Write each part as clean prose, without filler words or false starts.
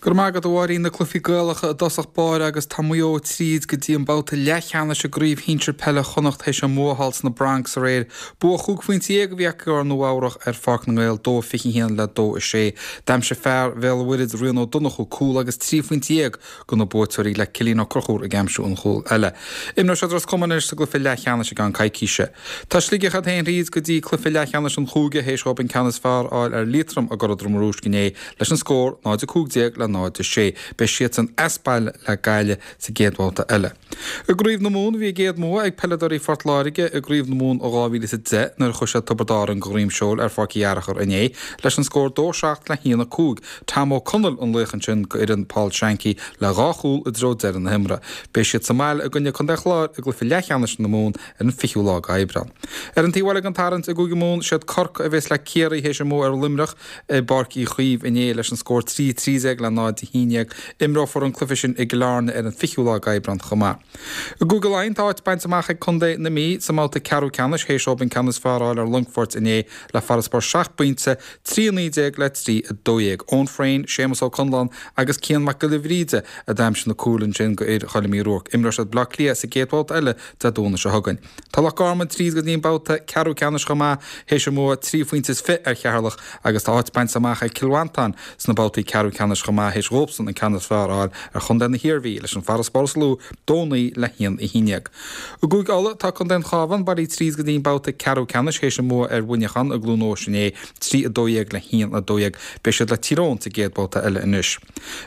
Go raibh maith agat a Mháirín, na cluichí Gaelacha i dtosach báire agus tá Maigh Eo tríd go dtí an babhta leathcheannais i gCraobh Shinsir Peile Chonnacht théis an mbua a fháil sna Bronx aréir. Bua chúig phointe dhéag a bhí acu ar Nua Eabhrach ar Pháirc na nGael, 2-21 le 2-6. D'aimsigh fear Bhéal an Mhuirthead Rian Ó Donnchú cúl agus 13 phointe do na buaiteoirí le Cillian Ó Conchúir ag aimsiú an chúil eile. Imreoidh siad Ros Comáin anois sa gcluiche leathcheannais i gceann coicíse. Tá Sligeach iad féin thríd go dtí cluiche leathcheannais an chúige théis dhóibh an ceann is fearr a fháil ar Liatroim i gCora Droma Rúisc inné leis an scór 0-15 le 0-6. Beidh siadsan as baile le Gaillimh sa gcéad bhabhta eile. I gCraobh na Mumhan bhí a gcéad mbua ag peileadóirí Phort Láirge i gCraobh na Mumhan i 2010 nuair a chuir siad Tiobraid Árann de dhroim seoil ar Pháirc Uí Fhearchair inné leis an scór 2-7 le 1-5. Tom Ó Conaill an laoch ansin go fhoireann Paul Shankey le dhá chúl i dtreo deireadh na himeartha. Beidh siad sa mbaile i gcoinne Contae an Chláir i gcluiche leathcheannais na Mumhan ar an 20ú lá d'Aibreán. Ar an taobh eile den tarraingt i gCúige Mumhan, siad Corcaigh a bhéas le Ciarraí théis a mbua ar Luimneach i bPáirc Uí Chaoimh inné leis an scór 3-13 le 0-11. Imreofar an cluiche sin i gCill Airne ar an 20ú lá d'Aibreán chomh maith. I gCúige Laighean tá áit bainte amach ag contae na Mí sa mbabhta ceathrú ceannais théis dóibh an ceann is fearr a fháil ar Longfort inné le farasbarr seacht bpointe, 3-19 le 3-12. Eoin Frayne, Séamus Ó Conláin agus Cian Mac Giolla Bhríde a d'aimsigh na cúil ansin go fhir Choilm Uí Ruairc. Imreoidh siad Baile Átha Cliath sa gcéad bhabhta eile Dé Domhnaigh seo chugainn. Tá Loch Garman tríd go dtí an babhta ceathrú ceannais chomh maith théis a mbua trí phointe is fiche ar Cheatharlach agus tá áit bainte amach ag Cill Mhantáin sna babhtaí ceathrú ceannais chomh maith théis dhóibhsan an ceann is fearr a fháil ar chontae na hIarmhí leis an farasbarr is lú, 2-9 le 1-11. I gCúige Uladh tá contae an Chabháin bailithe tríd go dtí an babhta ceathrú ceannais théis a mbua ar Mhuineachán i gCluain Eois inné, 3-12 le 1-12. Beidh siad le Tír Eoghain sa gcéad bhabhta eile anois.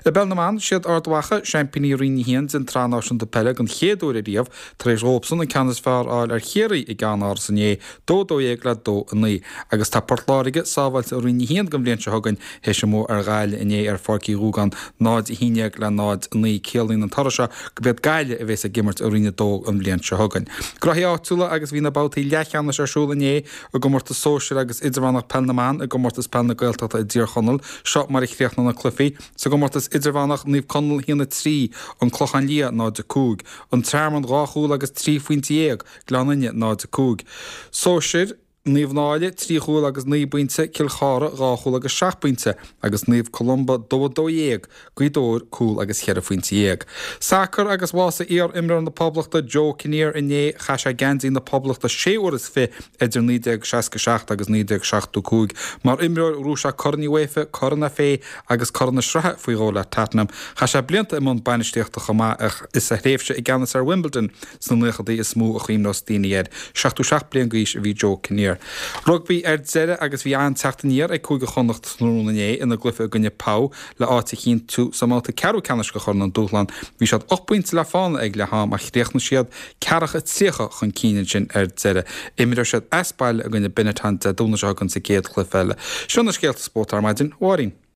I bPeil na mBan, siad Ard Mhacha, seaimpíní Roinn 1 den tSraith Náisiúnta Peile den chéad uair ariamh, tar éis dhóibhsan an ceann is fearr a fháil ar Chiarraí i gCeannáras inné, 2-12 le 2-9. Agus tá Port Láirge sábháilte i Roinn 1 don bhliain seo chugainn théis a mbua ar Ghaillimh inné ar Pháirc Uí Dhúgáin, 0-11 le 0-9. Ciallaíonn an toradh seo gurb iad Gaillimh a bhéas ag imirt i Roinn 2 an bhliain seo chugainn. Gnóthaí áitiúla agus bhí na babhtaí leathcheannais ar siúl inné i gcomórtas sóisir agus idirmheánach Peil na mBan i gcomórtas Peil na Gaeltachta i dTír Chonaill. Seo mar a chríochnaigh na cluichí. Sa gcomórtas idirmheánach, Naomh Conaill 1-3, An Clochán Liath 0-5, An Tearmann 2 chúl agus 13 phointe, Gleann Fhinne 0-5. Sóisir, Naomh Náille 3 chúl agus 9 bpointe, Cill Chartha 2 chúl agus 7 bpointe agus Naomh Columba 2-12, Gaoth Dobhair, cúl agus cheithre phointe dhéag. Sacar agus bhásaigh iar-imreoir na Poblachta Joe Kinnear inné. Chaith sé geansaí na Poblachta sé huaire is fiche idir 1967 agus 1975. Mar imreoir ghnóthaigh sé Corn UEFA, Corn FA agus Corn na Sraithe faoi dhó le Tottenham. Chaith sé blianta i mbun bainistíochta chomh maith ach is a thréimhse i gceannas ar Wimbledon sna naochadaí is mó a chuimhneos daoine air. 77 bliain d'aois a bhí Joe Kinnear. Rugbaí ar deireadh agus bhí an-teacht aniar ag Cúige Chonnacht tráthnóna inné ina gcluiche i gcoinne Pau le áit a chinntiú sa mbabhta ceathrú ceannais de Chorn an Dúshlán. Bhí siad 8 bpointe le fána ag leath am ach chríochnaigh siad ceathracha 30 chun cinn ansin ar deireadh. Imreoidh siad as baile i gcoinne Benetton Dé Domhnaigh seo chugainn sa gcéad chluiche eile. Seo na scéalta spóirt ar maidin. Mháirín.